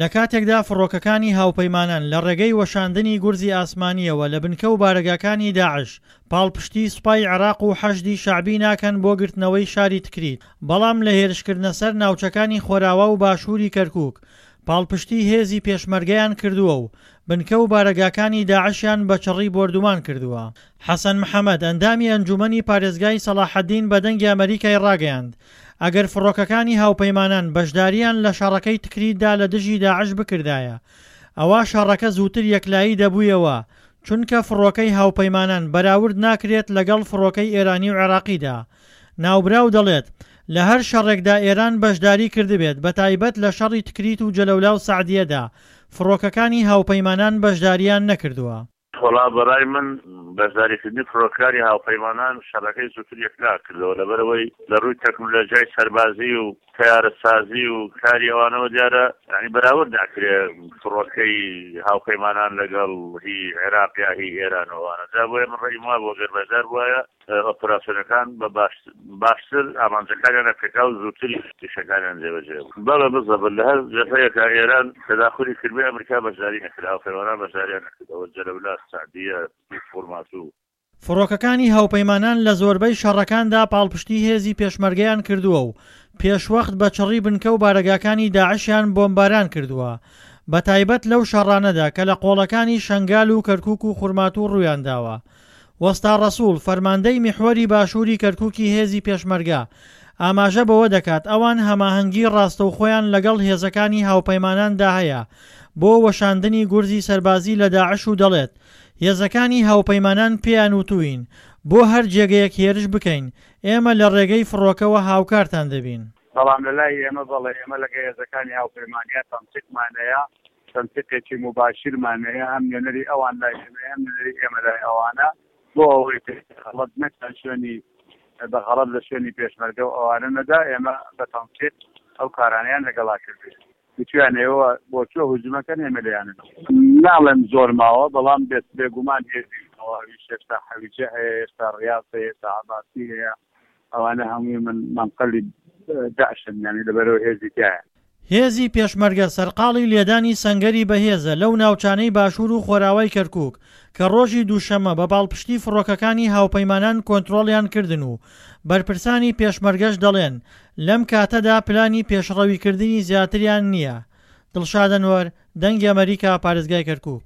لە کاتێکدا فڕۆکەکانی هاوپەیمانان لە ڕێگەی وەشاندنی گورزی ئاسمانییەوە لە بنکە و بارەگاکانی داعش پاڵپشتی سوپای عێراق و حەشدی شەعبی ناکەن بۆ گرتنەوەی شاری تکریت، بەڵام لە هێرشکردنە سەر ناوچەکانی خۆراوا و باشووری کەرکوک پاڵپشتی هێزی پێشمەرگەیان کردووە و بنکە و بارەگاکانی داعشیان بە چڕی بۆردومان کردووە. حەسەن محەمەد، ئەندامی ئەنجومەنی پارێزگای سەڵاحەدین بە دەنگی ئەمەریکای ڕاگەیاند، ئەگەر فڕۆکەکانی هاوپەیمانان بەشدارییان لە شەڕەکەی تکریتدا لە دژی داعش بکردایە، ئەوا شەڕەکە زووتر یەکلایی دەبوویەوە، چونکە فڕۆکەی هاوپەیمانان بەراورد ناکرێت لەگەڵ فڕۆکەی ئێرانی و عێراقیدا. ناوبراو دەڵێت، لە هەر شەڕێکدا ئێران بەشداری کردبێت بەتایبەت لە شەڕی تکریت و جەلەولا و سەعدیەدا، فڕۆکەکانی هاوپەیمانان بەشدارییان نەکردووە. وەڵا بەڕای من بەشداریکردنی فڕۆکەکانی هاوپەیمانان شەڕەکەی زووتر یەکلا کردەوە لەبەرئەوەی لە ڕووی تەکنولۆژیای سەربازی و تەیارەسازی و کاری ئەوانەوە دیارە یانی بەراورد ناکرێ فڕۆکەی هاوپەیمانان لەگەڵ هی عێراق یا هی ئێران و ئەوانە جا بۆیە من ڕەئیم وابوو گەر بەشدار بوایە ئۆپراسیۆنەکان بە باشتر ئامانجەکانیان ئەپێکا و زووتر ئیشەکانیان جێبەجێ بوو. بەڵێ بزەبت لە هەر جەبهەیەکا ئێران تەداخولی کردبێ ئەمریکا بەشداری نەکرد هاوپەیمانان بەشداریان نەکرد ئەوە جەلەولا سەعدیە فورماتوو. فڕۆکەکانی هاوپەیمانان لە زۆربەی شەڕەکاندا پاڵپشتی هێزی پێشمەرگەیان کردووە و پێشوەخت بە چڕی بنکە و بارەگاکانی داعشیان بۆمباران کردووە بەتایبەت لەو شەڕانەدا کە لە قۆڵەکانی شەنگال و کەرکوک و خورماتوو ڕوویانداوە. وەستا ڕەسوڵ، فەرماندەی میحوەری باشووری کەرکوکی هێزی پێشمەرگە، ئاماژە بەوە دەکات ئەوان هەماهەنگی ڕاستەوخۆیان لەگەڵ هێزەکانی هاوپەیماناندا هەیە بۆ وەشاندنی گورزی سەربازی لە داعش و دەڵێت هێزەکانی هاوپەیمانان پێیان وتووین بۆ هەر جێگەیەک هێرش بکەین ئێمە لە ڕێگەی فڕۆکەوە هاوکارتان دەبین. بەڵام لە لای ئێمە بەڵێ ئێمە لەگە هێزەکانی هاوپەیمانیا تەنسیقمان هەیە، تەنسیقێکی موباشیرمان هەیە، هەم نوێنەری ئەوان لای ئێمەیە هەم نوێنەری ئێمە لای ئەوانە، بۆ ئەوەی غەڵەت نەکا شوێنی بە غەڵەت لە شوێنی پێشمەرگە و ئەوانە نەدا، ئێمە بە تەنسیق ئەو کارانەیان لەگەڵا کردووین. وتویان ئێوە بۆ کوێ هجومەکەن ئێمە لێیان ناڵێم زۆر ماوە بەڵام بێت بێگومان هێزی تەواویش هێشتا حەویجە هەیە هێشتا ڕیاز هەیە هێشتا عەباسی هەیە ئەوانە هەمووی من مەنقەلی دەعشن یانی لەبەرەوە هێزی تایە. هێزی پێشمەرگە سەرقاڵی لێدانی سەنگەری بەهێزە لەو ناوچانەی باشوور و خۆراوای کەرکووک کە ڕۆژی دووشەممە بە پاڵپشتی فڕۆکەکانی هاوپەیمانان کۆنترۆڵیان کردن و بەرپرسانی پێشمەرگەش دەڵێن لەم کاتەدا پلانی پێشڕەویکردنی زیاتریان نییە. دڵشاد ئەنوەر، دەنگی ئەمەریکا، پارێزگای کەرکووک.